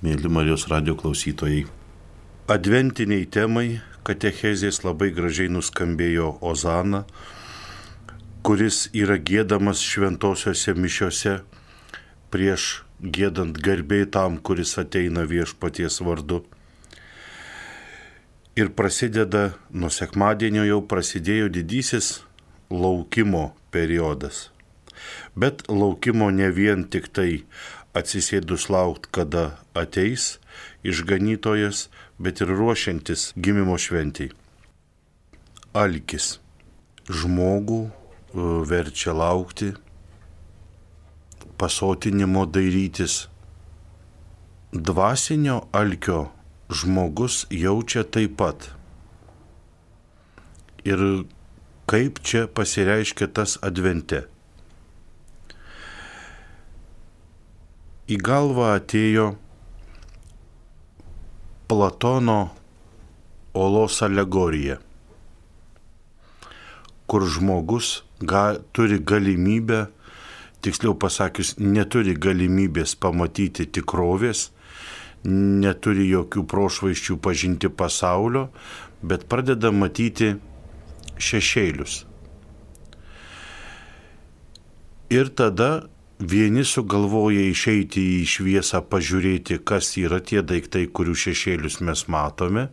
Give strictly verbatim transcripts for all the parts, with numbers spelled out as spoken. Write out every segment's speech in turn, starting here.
Mėly Marijos radijo klausytojai. Adventiniai temai katechezės labai gražiai nuskambėjo Ozana, kuris yra giedamas šventosiuose mišiuose prieš giedant garbė tam, kuris ateina viešpaties vardu. Ir prasideda, nuo sekmadienio jau prasidėjo didysis laukimo periodas. Bet laukimo ne vien tik tai atsisėdus laukt, kada ateis išganytojas, bet ir ruošiantis gimimo šventei. Alkis žmogų verčia laukti, pasotinimo dairytis. Dvasinio alkio žmogus jaučia taip pat. Ir kaip čia pasireiškia tas advente? Į galvą atėjo Platono olos alegorija, kur žmogus ga, turi galimybę, tiksliau pasakius, neturi galimybės pamatyti tikrovės, neturi jokių prošvaisčių pažinti pasaulio, bet pradeda matyti šešėlius. Ir tada vieni sugalvoja išeiti į šviesą, pažiūrėti, kas yra tie daiktai, kurių šešėlius mes matome,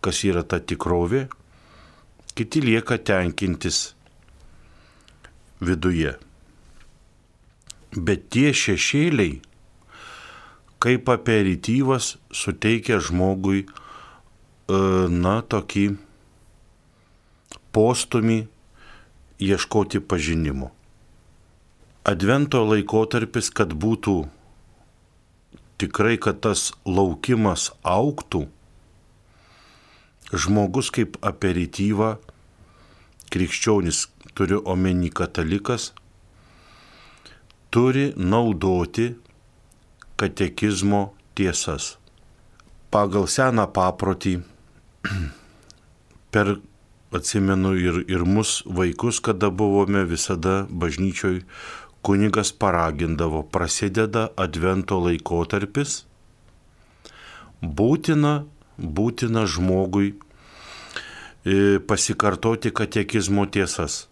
kas yra ta tikrovė. Kiti lieka tenkintis viduje. Bet tie šešėliai, kaip aperityvas, suteikia žmogui, na, tokį postumį ieškoti pažinimo. Advento laikotarpis, kad būtų tikrai, kad tas laukimas augtų, žmogus kaip aperityvą, krikščionis, turiu omeny katalikas, turi naudoti katekizmo tiesas. Pagal seną paprotį, per, atsimenu, ir, ir mus vaikus, kada buvome visada bažnyčioj, kunigas paragindavo, prasideda advento laikotarpis, būtina, būtina žmogui pasikartoti katekizmo tiesas.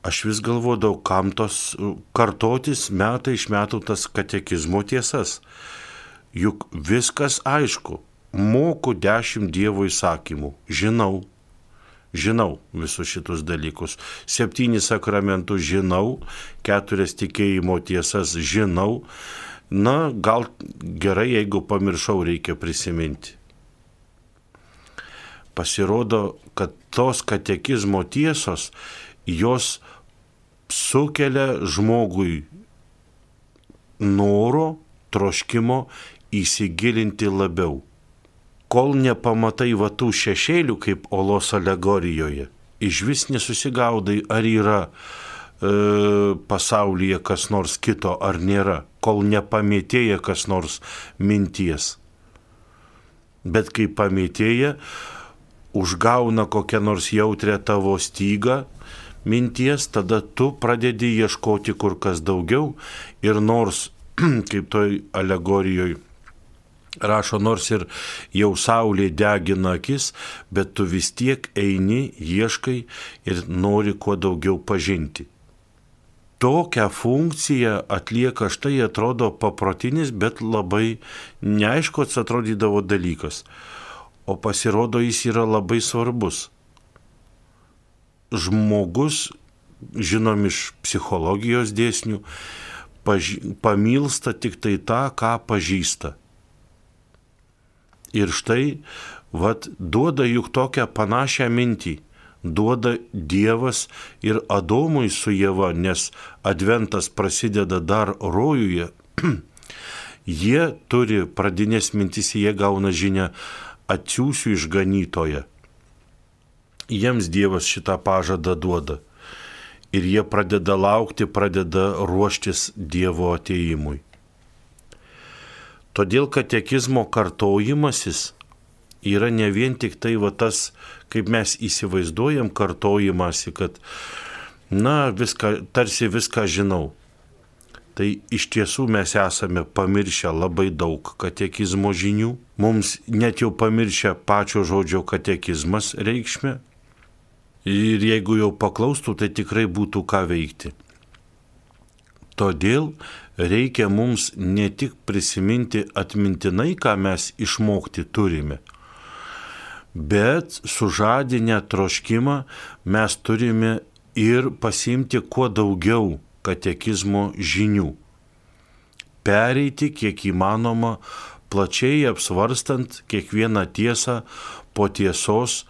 Aš vis galvodavau, kam tos kartotis metai iš metų tas katekizmo tiesas. Juk viskas aišku, moku dešimt Dievo įsakymų, žinau. Žinau visus šitus dalykus. Septynis sakramentus žinau, keturias tikėjimo tiesas žinau. Na, gal gerai, jeigu pamiršau, reikia prisiminti. Pasirodo, kad tos katekizmo tiesos, jos sukelia žmogui noro, troškimo įsigilinti labiau. Kol nepamatai va tų šešėlių, kaip olos alegorijoje, iš vis nesusigaudai, ar yra e, pasaulyje kas nors kito, ar nėra, kol nepamėtėja kas nors minties. Bet kai pamėtėja, užgauna kokią nors jautrę tavo stygą minties, tada tu pradedi ieškoti kur kas daugiau ir nors, kaip toj alegorijoje, rašo, nors ir jau saulė degina akis, bet tu vis tiek eini, ieškai ir nori kuo daugiau pažinti. Tokią funkciją atlieka, štai atrodo paprotinis, bet labai neaiškus atrodydavo dalykas. O pasirodo, jis yra labai svarbus. Žmogus, žinom iš psichologijos dėsnių, paž... pamilsta tik tai tą, ką pažįsta. Ir štai, vat, duoda juk tokią panašią mintį, duoda Dievas ir Adomui su Ieva, nes adventas prasideda dar rojuje. Jie turi pradinės mintis, jie gauna žinią, atsiųsiu išganytoją. Jiems Dievas šitą pažadą duoda. Ir jie pradeda laukti, pradeda ruoštis Dievo atėjimui. Todėl katekizmo kartojimasis yra ne vien tik tai va tas, kaip mes įsivaizduojam kartojimąsi, kad, na, viską, tarsi viską žinau. Tai iš tiesų mes esame pamiršę labai daug katekizmo žinių. Mums net jau pamiršę pačio žodžio katekizmas reikšmę. Ir jeigu jau paklaustų, tai tikrai būtų ką veikti. Todėl reikia mums ne tik prisiminti atmintinai, ką mes išmokti turime, bet sužadinę troškimą mes turime ir pasiimti kuo daugiau katekizmo žinių. Pereiti kiek įmanoma, plačiai apsvarstant kiekvieną tiesą po tiesos,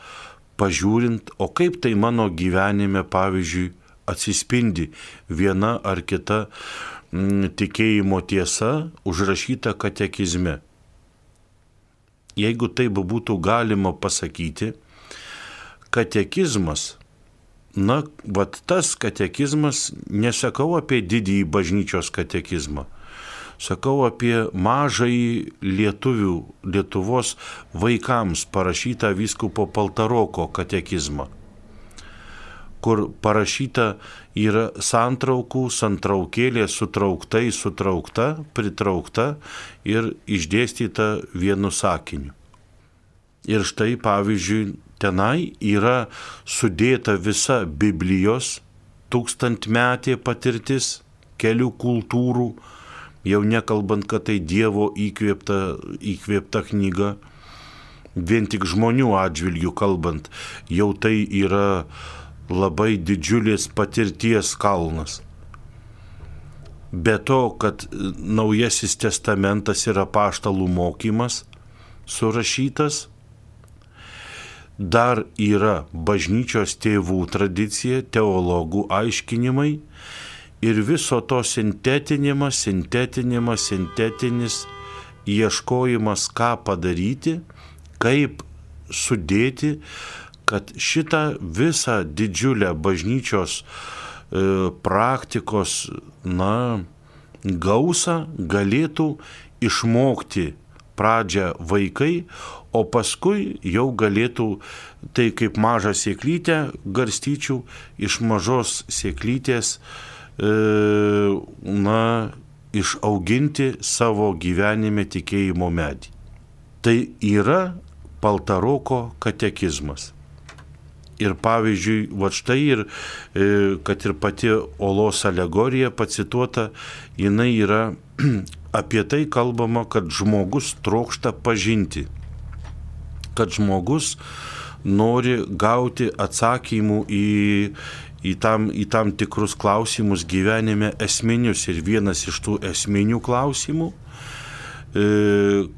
pažiūrint, o kaip tai mano gyvenime, pavyzdžiui, atsispindi viena ar kita m, tikėjimo tiesa užrašyta katekizme. Jeigu taip būtų galima pasakyti, katekizmas, na, vat tas katekizmas, nesakau apie didįjį bažnyčios katekizmą, sakau apie mažąjį lietuvių, Lietuvos vaikams parašytą vyskupo Paltaroko katekizmą, kur parašyta yra santraukų, santraukėlė sutrauktai, sutraukta, pritraukta ir išdėstyta vienu sakiniu. Ir štai, pavyzdžiui, tenai yra sudėta visa Biblijos tūkstantmetė patirtis, kelių kultūrų, jau nekalbant, kad tai Dievo įkvėpta, įkvėpta knyga, vien tik žmonių atžvilgių kalbant, jau tai yra labai didžiulis patirties kalnas. Be to, kad Naujasis testamentas yra apaštalų mokymas surašytas, dar yra bažnyčios tėvų tradicija, teologų aiškinimai ir viso to sintetinimas, sintetinimas, sintetinis ieškojimas, ką padaryti, kaip sudėti, kad šitą visą didžiulę bažnyčios e, praktikos, na, gausą galėtų išmokti pradžią vaikai, o paskui jau galėtų tai kaip mažą sėklytę garstyčių iš mažos sėklytės e, na, išauginti savo gyvenime tikėjimo medį. Tai yra Paltaroko katekizmas. Ir pavyzdžiui, va štai ir, kad ir pati olos alegorija pacituota, jinai yra apie tai kalbama, kad žmogus trokšta pažinti, kad žmogus nori gauti atsakymų į, į, tam, į tam tikrus klausimus gyvenime esminius. Ir vienas iš tų esminių klausimų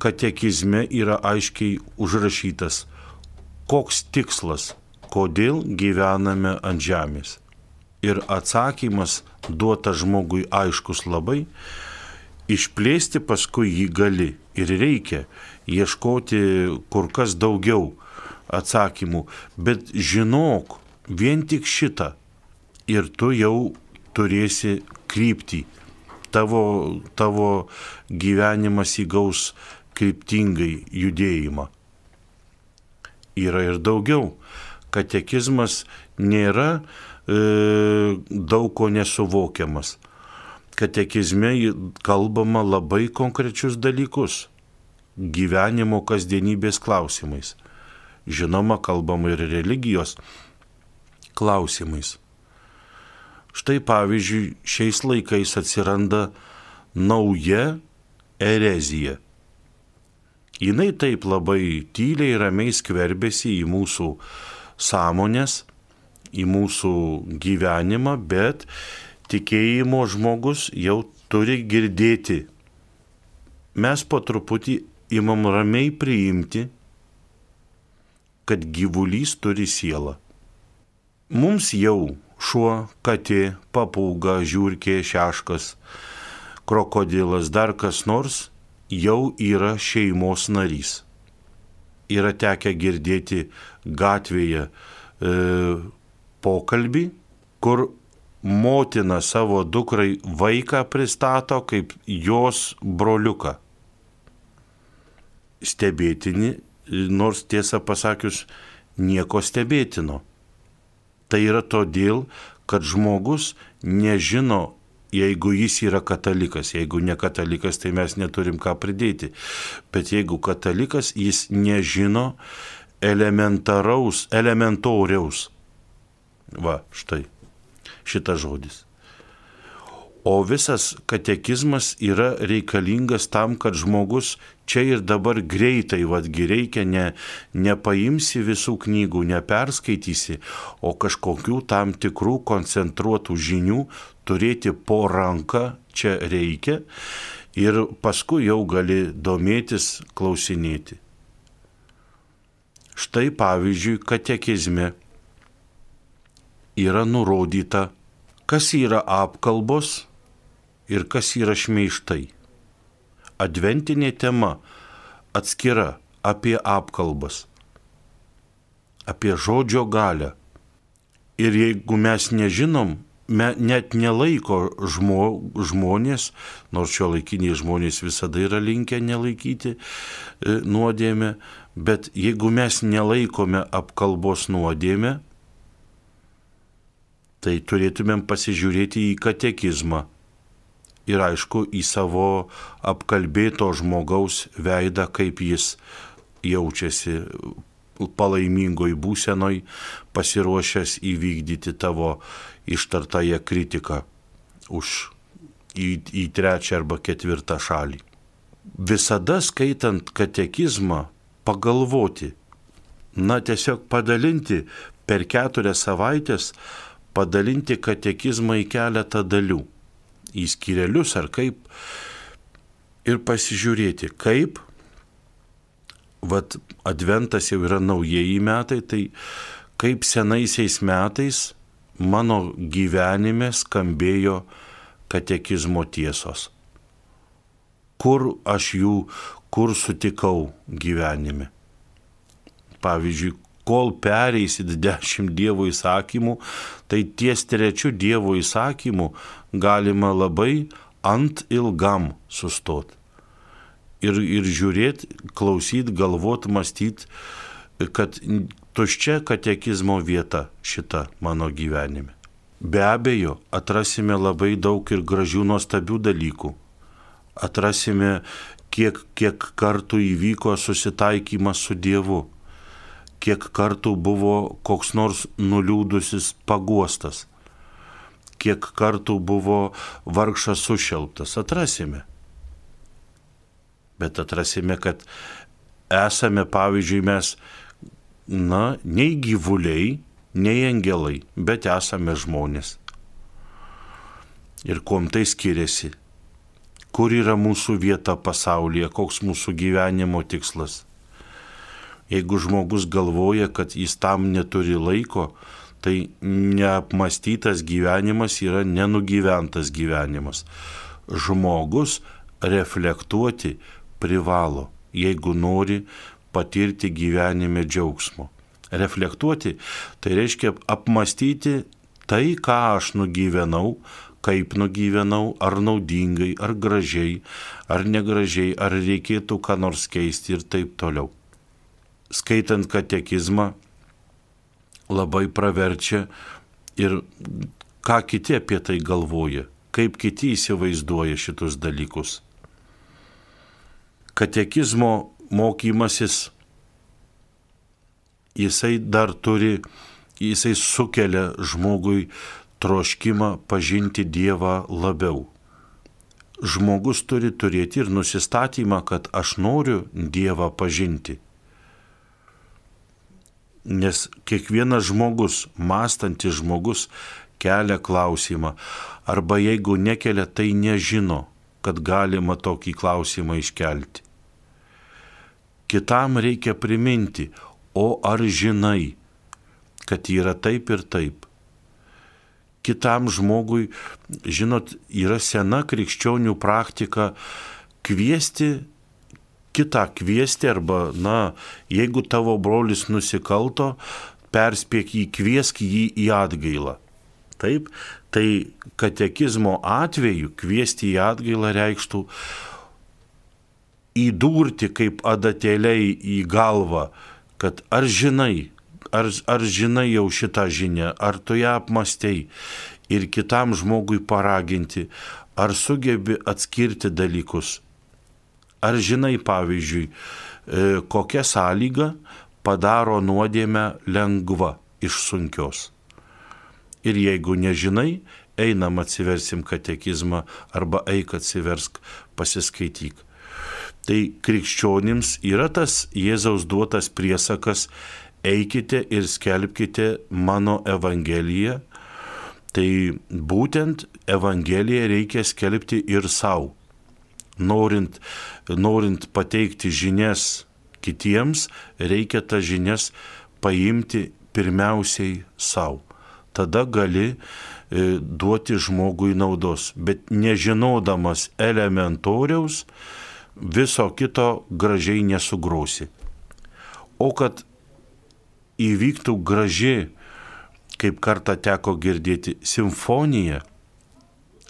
katekizme yra aiškiai užrašytas, koks tikslas, kodėl gyvename ant žemės. Ir atsakymas duotas žmogui aiškus labai, išplėsti paskui jį gali ir reikia ieškoti kur kas daugiau atsakymų, bet žinok vien tik šitą ir tu jau turėsi kryptį, tavo, tavo gyvenimas įgaus kryptingai judėjimą. Yra ir daugiau. Katekizmas nėra e, daug ko nesuvokiamas. Katekizme kalbama labai konkrečius dalykus, gyvenimo kasdienybės klausimais. Žinoma, kalbama ir religijos klausimais. Štai pavyzdžiui, šiais laikais atsiranda nauja erezija. Jinai taip labai tyliai ir ramiai skverbėsi į mūsų sąmonės, į mūsų gyvenimą, bet tikėjimo žmogus jau turi girdėti. Mes po truputį imam ramiai priimti, kad gyvulys turi sielą. Mums jau šuo, katė, papūga, žiurkė, šeškas, krokodilas, dar kas nors jau yra šeimos narys. Yra tekę girdėti gatvėje e, pokalbį, kur motina savo dukrai vaiką pristato kaip jos broliuką. Stebėtini, nors tiesą pasakius, nieko stebėtino. Tai yra todėl, kad žmogus nežino jeigu jis yra katalikas. Jeigu ne katalikas, tai mes neturim ką pridėti. Bet jeigu katalikas, jis nežino elementaraus, elementoriaus. Va, štai, šitas žodis. O visas katekizmas yra reikalingas tam, kad žmogus čia ir dabar greitai, vadgi reikia, ne, nepaimsi visų knygų, neperskaitysi, o kažkokių tam tikrų koncentruotų žinių turėti po ranką čia reikia ir paskui jau gali domėtis, klausinėti. Štai pavyzdžiui, katekizme yra nurodyta, kas yra apkalbos ir kas yra šmeižtai. Adventinė tema atskira apie apkalbas, apie žodžio galią. Ir jeigu mes nežinom, me, net nelaiko žmo, žmonės, nors šiuolaikiniai žmonės visada yra linkę nelaikyti e, nuodėmę, bet jeigu mes nelaikome apkalbos nuodėmę, tai turėtumėm pasižiūrėti į katekizmą ir aišku į savo apkalbėto žmogaus veidą, kaip jis jaučiasi palaimingoj būsenoj, pasiruošęs įvykdyti tavo ištartąją kritiką už į, į trečią arba ketvirtą šalį. Visada skaitant katekizmą pagalvoti, na tiesiog padalinti per keturias savaitės, padalinti katekizmą į keletą dalių, į skyrelius ar kaip, ir pasižiūrėti, kaip, vat adventas jau yra naujieji metai, tai kaip senaisiais metais mano gyvenime skambėjo katekizmo tiesos. Kur aš jų, kur sutikau gyvenime. Pavyzdžiui, kol pereisit dešimt Dievo įsakymų, tai ties trečiu Dievo įsakymu galima labai ant ilgam sustot. Ir, ir žiūrėt, klausyt, galvot, mąstyt, kad tuščia katekizmo vieta šita mano gyvenime. Be abejo, atrasime labai daug ir gražių nuostabių dalykų. Atrasime, kiek, kiek kartų įvyko susitaikymas su Dievu. Kiek kartų buvo koks nors nuliūdusis paguostas, kiek kartų buvo vargšas sušelptas, atrasime. Bet atrasime, kad esame, pavyzdžiui, mes, na, nei gyvuliai, nei angelai, bet esame žmonės. Ir kuom tai skiriasi? Kur yra mūsų vieta pasaulyje, koks mūsų gyvenimo tikslas? Jeigu žmogus galvoja, kad jis tam neturi laiko, tai neapmastytas gyvenimas yra nenugyventas gyvenimas. Žmogus reflektuoti privalo, jeigu nori patirti gyvenime džiaugsmo. Reflektuoti tai reiškia apmastyti tai, ką aš nugyvenau, kaip nugyvenau, ar naudingai, ar gražiai, ar negražiai, ar reikėtų ką nors keisti ir taip toliau. Skaitant katekizmą labai praverčia ir ką kiti apie tai galvoja, kaip kiti įsivaizduoja šitus dalykus. Katekizmo mokymasis, jisai dar turi, jisai sukelia žmogui troškimą pažinti Dievą labiau. Žmogus turi turėti ir nusistatymą, kad aš noriu Dievą pažinti. Nes kiekvienas žmogus, mąstantis žmogus, kelia klausimą, arba jeigu nekelia, tai nežino, kad galima tokį klausimą iškelti. Kitam reikia priminti, o ar žinai, kad yra taip ir taip. Kitam žmogui, žinot, yra sena krikščionių praktika kviesti kitą kviesti arba, na, jeigu tavo brolis nusikalto, perspėk jį, kviesk jį į atgailą. Taip, tai katekizmo atveju kviesti į atgailą reikštų įdurti kaip adatėliai į galvą, kad ar žinai, ar, ar žinai jau šitą žinią, ar tu ją apmastei ir kitam žmogui paraginti, ar sugebi atskirti dalykus. Ar žinai, pavyzdžiui, kokia sąlyga padaro nuodėmę lengva iš sunkios. Ir jeigu nežinai, einam atsiversim katekizmą arba eik atsiversk, pasiskaityk. Tai krikščionims yra tas Jėzaus duotas priesakas, eikite ir skelbkite mano evangeliją. Tai būtent evangeliją reikia skelbti ir savo. Norint, norint pateikti žinias kitiems, reikia tas žinias paimti pirmiausiai savo. Tada gali e, duoti žmogui naudos, bet nežinodamas elementoriaus, viso kito gražiai nesugrosi. O kad įvyktų graži, kaip kartą teko girdėti, simfonija,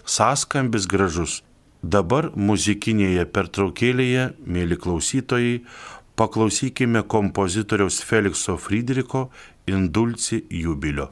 sąskambis gražus. Dabar muzikinėje pertraukėlėje, mėly klausytojai, paklausykime kompozitoriaus Felikso Frydricho Indulci Jubilio.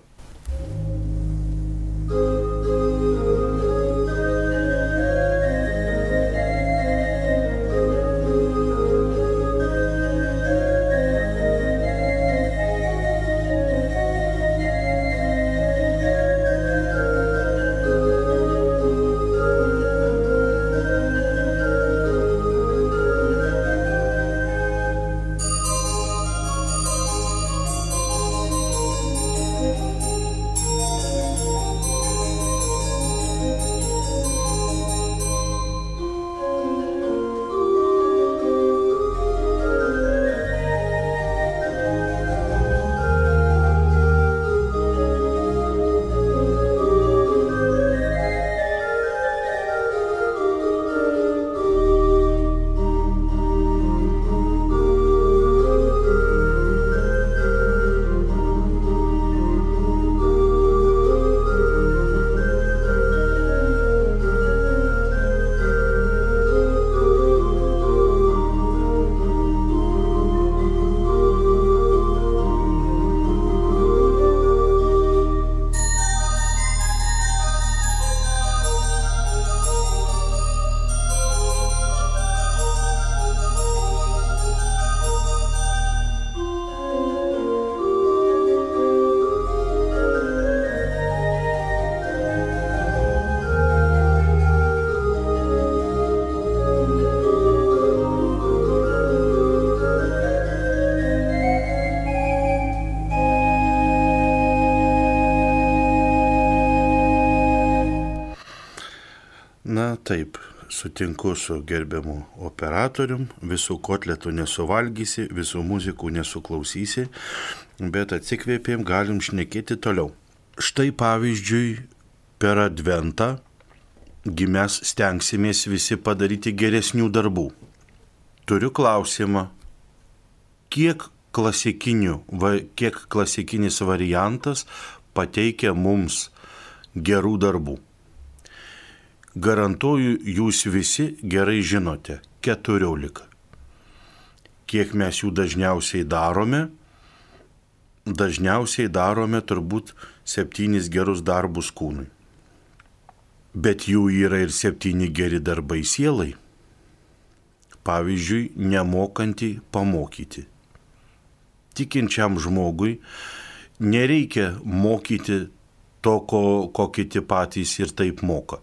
Na taip, sutinku su gerbiamu operatorium, visų kotletų nesuvalgysi, visų muzikų nesuklausysi, bet atsikvėpėm, galim šnekėti toliau. Štai pavyzdžiui, per Adventą mes stengsimės visi padaryti geresnių darbų. Turiu klausimą, kiek, va, kiek klasikinis variantas pateikia mums gerų darbų? Garantuoju, jūs visi gerai žinote, keturiolika. Kiek mes jų dažniausiai darome? Dažniausiai darome turbūt septynis gerus darbus kūnui. Bet jų yra ir septyni geri darbai sielai. Pavyzdžiui, nemokantį pamokyti. Tikinčiam žmogui nereikia mokyti to, ko, ko kiti patys ir taip moka.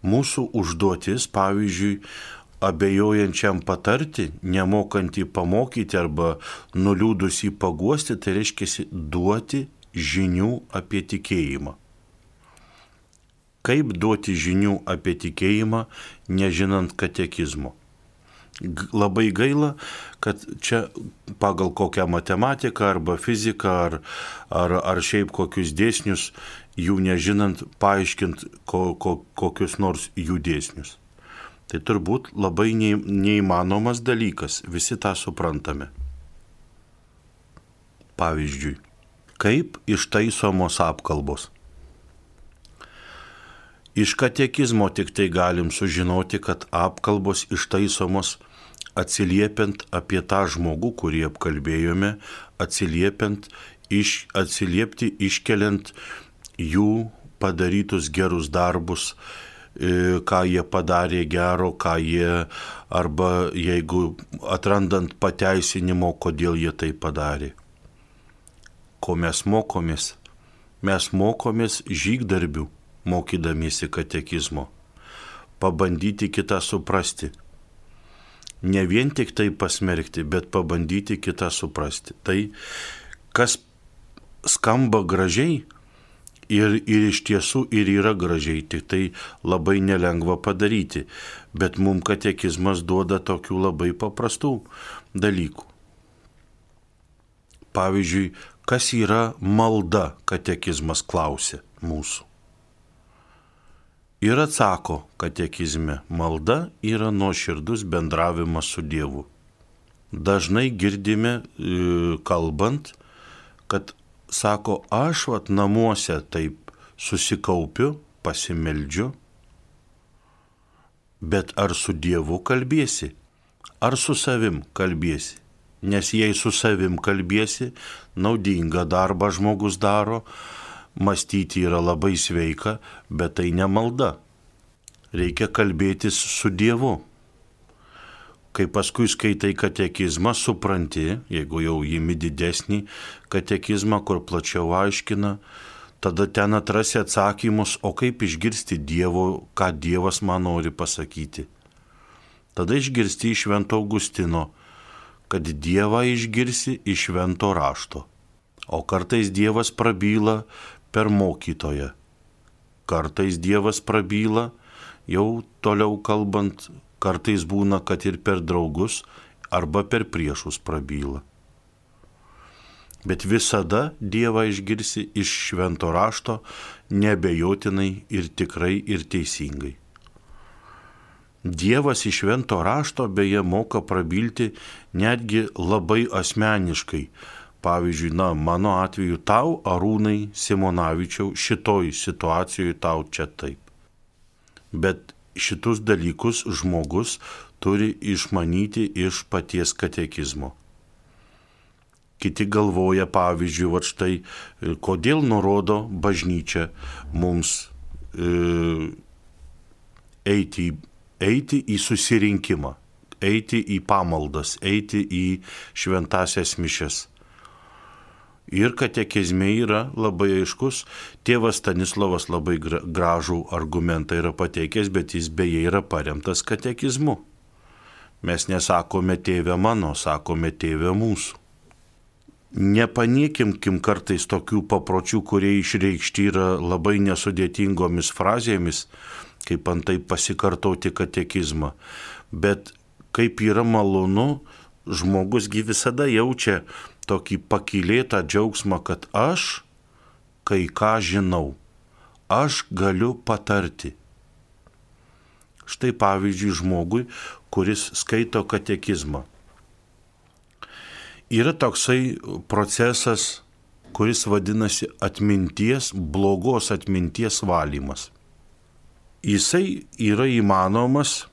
Mūsų užduotis, pavyzdžiui, abejojančiam patarti, nemokantį pamokyti arba nuliūdusį paguosti, tai reiškia duoti žinių apie tikėjimą. Kaip duoti žinių apie tikėjimą, nežinant katekizmo? Labai gaila, kad čia pagal kokią matematiką arba fiziką ar, ar, ar šiaip kokius dėsnius, jų nežinant, paaiškint ko, ko, kokius nors jų dėsnius. Tai turbūt labai neįmanomas dalykas, visi tą suprantame. Pavyzdžiui, kaip ištaisomos apkalbos? Iš katekizmo tik tai galim sužinoti, kad apkalbos ištaisomos atsiliepiant apie tą žmogų, kurį apkalbėjome, atsiliepiant, iš, atsiliepti iškeliant jų padarytus gerus darbus, ką jie padarė gero, ką jie, arba jeigu atrandant pateisinimo, kodėl jie tai padarė. Ko mes mokomės? Mes mokomės žygdarbių, mokydamiesi katekizmo. Pabandyti kitą suprasti. Ne vien tik tai pasmerkti, bet pabandyti kitą suprasti. Tai, kas skamba gražiai, Ir, ir iš tiesų ir yra gražiai, tik tai labai nelengva padaryti. Bet mums katekizmas duoda tokių labai paprastų dalykų. Pavyzdžiui, kas yra malda, katekizmas klausia mūsų. Ir atsako katekizme, malda yra nuoširdus bendravimas su Dievu. Dažnai girdime kalbant, kad sako, aš vat namuose taip susikaupiu, pasimeldžiu, bet ar su Dievu kalbėsi, ar su savim kalbėsi? Nes jei su savim kalbėsi, naudingą darbą žmogus daro, mąstyti yra labai sveika, bet tai ne malda. Reikia kalbėtis su Dievu. Kai paskui skaitai katekizmą, supranti, jeigu jau įimi didesnį katekizmą, kur plačiau aiškina, tada ten atrasi atsakymus, o kaip išgirsti Dievo, ką Dievas man nori pasakyti. Tada išgirsti iš Švento Augustino, kad Dievą išgirsi iš Švento rašto. O kartais Dievas prabyla per mokytoją. Kartais Dievas prabyla, jau toliau kalbant, kartais būna, kad ir per draugus arba per priešus prabyla. Bet visada Dievą išgirsi iš Švento rašto, neabejotinai ir tikrai ir teisingai. Dievas iš Švento rašto beje moka prabilti netgi labai asmeniškai. Pavyzdžiui, na, mano atveju tau, Arūnai Simonavičiau, šitoj situacijoje tau čia taip. Bet šitus dalykus žmogus turi išmanyti iš paties katekizmo. Kiti galvoja, pavyzdžiui, va štai, kodėl nurodo bažnyčia mums e, eiti, eiti į susirinkimą, eiti į pamaldas, eiti į šventasias mišias. Ir katekizme yra labai aiškus, tėvas Stanislovas labai gražų argumentą yra pateikęs, bet jis beje yra paremtas katekizmu. Mes nesakome tėve mano, sakome tėve mūsų. Nepaniekinkim kartais tokių papročių, kurie išreikšti yra labai nesudėtingomis frazėmis, kaip antai pasikartoti katekizmą. Bet kaip yra malonu, žmogusgi visada jaučia tokį pakylėtą džiaugsmą, kad aš kai ką žinau, aš galiu patarti. Štai pavyzdžiui žmogui, kuris skaito katekizmą. Yra toksai procesas, kuris vadinasi atminties, blogos atminties valymas. Jisai yra įmanomas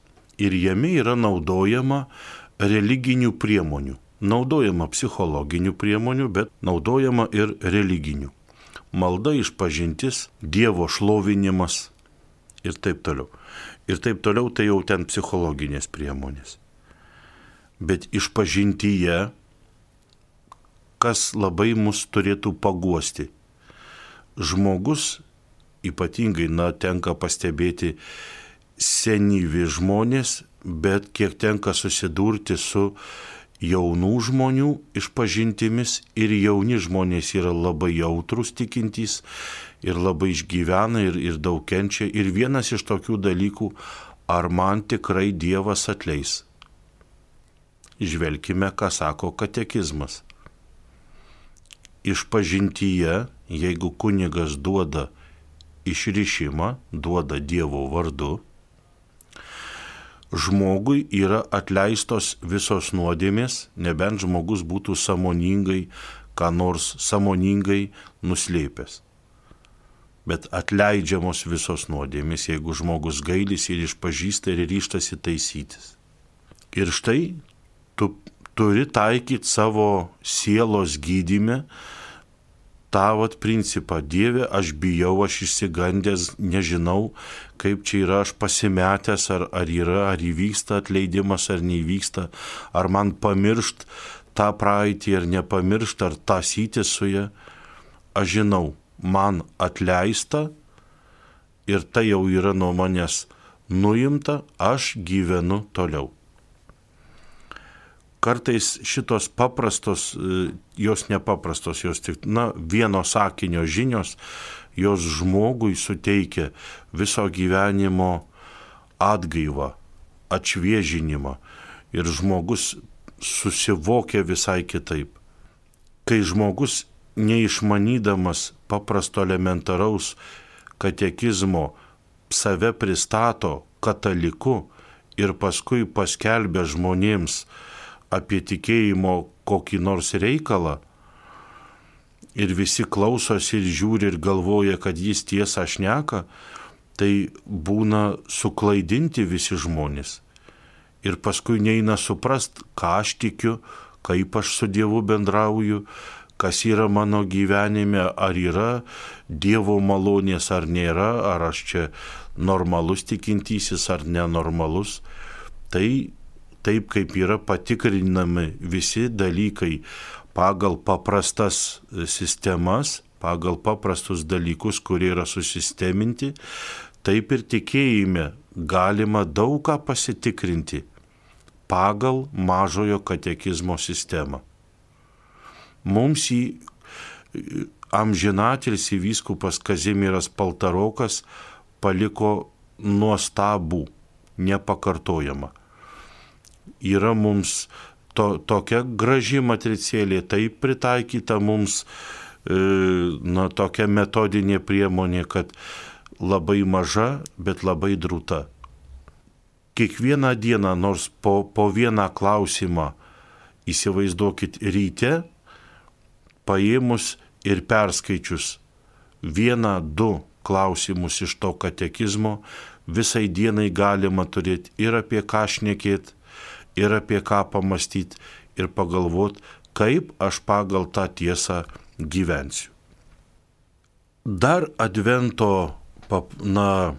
ir jame yra naudojama religinių priemonių. Naudojama psichologinių priemonių, bet naudojama ir religinių. Malda, išpažintis, Dievo šlovinimas ir taip toliau. Ir taip toliau tai jau ten psichologinės priemonės. Bet išpažintyje, kas labai mus turėtų paguosti. Žmogus, ypatingai, na, tenka pastebėti senyvi žmonės, bet kiek tenka susidurti su jaunų žmonių išpažintimis ir jauni žmonės yra labai jautrus tikintys ir labai išgyvena ir, ir daug kenčia. Ir vienas iš tokių dalykų, ar man tikrai Dievas atleis. Žvelkime, ką sako katekizmas. Išpažintyje, jeigu kunigas duoda išrišimą, duoda Dievo vardu, žmogui yra atleistos visos nuodėmės, nebent žmogus būtų sąmoningai, ką nors sąmoningai nuslėpęs. Bet atleidžiamos visos nuodėmės, jeigu žmogus gailis ir išpažįsta ir ryžtasi taisytis. Ir štai tu turi taikyti savo sielos gydyme tą vat principą, Dieve, aš bijau, aš išsigandęs, nežinau, kaip čia yra, aš pasimetęs, ar, ar yra, ar įvyksta atleidimas, ar neįvyksta, ar man pamiršt tą praeitį, ar nepamiršt, ar tasyti su ja. Aš žinau, man atleista ir tai jau yra nuo manęs nuimta, aš gyvenu toliau. Kartais šitos paprastos, jos nepaprastos, jos tik, na, vieno sakinio žinios, jos žmogui suteikia viso gyvenimo atgaivą, atšviežinimą ir žmogus susivokia visai kitaip. Kai žmogus neišmanydamas paprasto elementaraus katekizmo save pristato kataliku ir paskui paskelbia žmonėms apie tikėjimo kokį nors reikalą ir visi klausosi ir žiūri ir galvoja, kad jis tiesą šneka, tai būna suklaidinti visi žmonės. Ir paskui neina suprast, ką aš tikiu, kaip aš su Dievu bendrauju, kas yra mano gyvenime, ar yra Dievo malonės, ar nėra, ar aš čia normalus tikintysis, ar nenormalus. Tai taip kaip yra patikrinami visi dalykai pagal paprastas sistemas, pagal paprastus dalykus, kurie yra susisteminti, taip ir tikėjime galima daug ką pasitikrinti pagal mažojo katekizmo sistemą. Mums į amžinatilsį vyskupas Kazimieras Paltarokas paliko nuostabų, nepakartojamą. Yra mums to, tokia graži matricėlė, taip pritaikyta mums e, na, tokia metodinė priemonė, kad labai maža, bet labai drūta. Kiekvieną dieną, nors po, po vieną klausimą, įsivaizduokit ryte, paėmus ir perskaičius vieną, du klausimus iš to katekizmo, visai dienai galima turėti ir apie ką šnekėti, ir apie ką pamastyti, ir pagalvoti, kaip aš pagal tą tiesą gyvensiu. Dar advento na,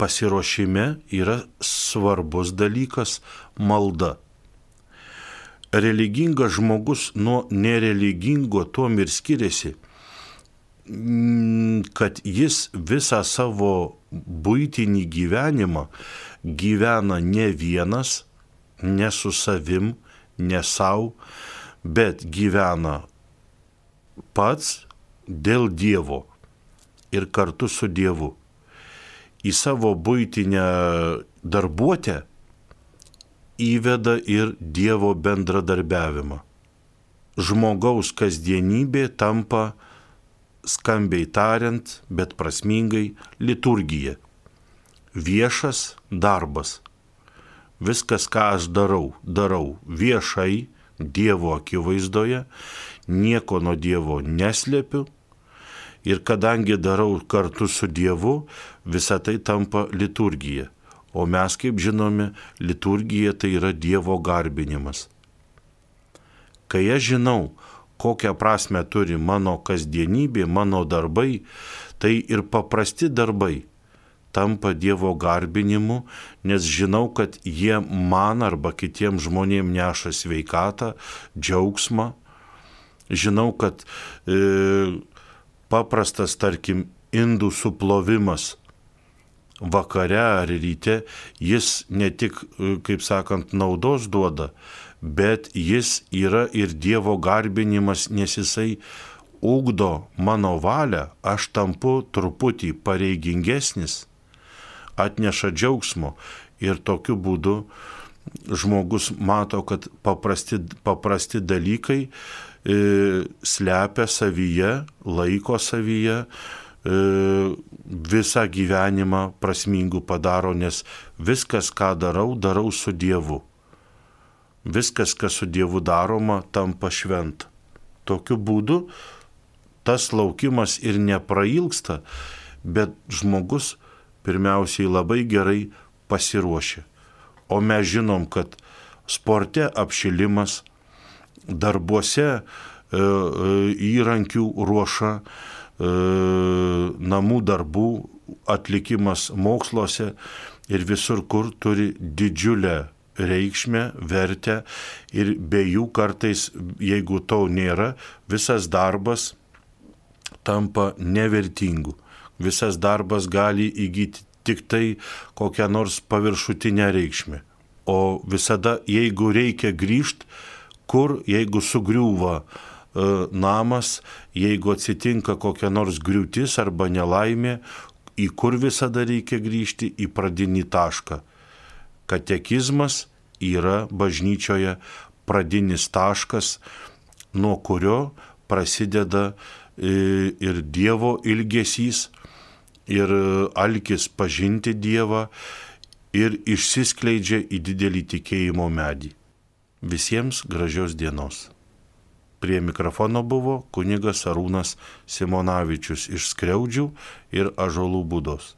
pasiruošime yra svarbus dalykas – malda. Religingas žmogus nuo nereligingo tuom ir skiriasi, kad jis visą savo buitinį gyvenimą gyvena ne vienas, ne su savim, ne savo, bet gyvena pats dėl Dievo ir kartu su Dievu. Į savo buitinę darbuotę įveda ir Dievo bendradarbiavimą. Žmogaus kasdienybė tampa, skambiai tariant, bet prasmingai, liturgija. Viešas darbas. Viskas, ką aš darau, darau viešai, Dievo akivaizdoje, nieko nuo Dievo neslėpiu ir kadangi darau kartu su Dievu, visa tai tampa liturgija. O mes, kaip žinome, liturgija tai yra Dievo garbinimas. Kai aš žinau, kokią prasme turi mano kasdienybė, mano darbai, tai ir paprasti darbai tampa Dievo garbinimu, nes žinau, kad jie man arba kitiems žmonėms neša sveikatą, džiaugsmą. Žinau, kad e, paprastas, tarkim, indų suplovimas vakare ar ryte, jis ne tik, kaip sakant, naudos duoda, bet jis yra ir Dievo garbinimas, nes jisai ugdo mano valią, aš tampu truputį pareigingesnis, atneša džiaugsmo ir tokiu būdu žmogus mato, kad paprasti, paprasti dalykai e, slepia savyje, laiko savyje, e, visą gyvenimą prasmingų padaro, nes viskas, ką darau, darau su Dievu. Viskas, kas su Dievu daroma, tampa šventa. Tokiu būdu tas laukimas ir neprailgsta, bet žmogus pirmiausiai labai gerai pasiruošia. O mes žinom, kad sporte apšilimas, darbuose įrankių ruoša, namų darbų atlikimas moksluose ir visur kur turi didžiulę reikšmę, vertę ir be jų kartais, jeigu to nėra, visas darbas tampa nevertingu. Visas darbas gali įgyti tik tai kokią nors paviršutinę reikšmę. O visada, jeigu reikia grįžti, kur, jeigu sugriūva e, namas, jeigu atsitinka kokia nors griūtis arba nelaimė, į kur visada reikia grįžti, į pradinį tašką. Katekizmas yra bažnyčioje pradinis taškas, nuo kurio prasideda ir Dievo ilgesys, ir alkis pažinti Dievą, ir išsiskleidžia į didelį tikėjimo medį. Visiems gražios dienos. Prie mikrofono buvo kunigas Arūnas Simonavičius iš Skriaudžių ir Ąžuolų Būdos.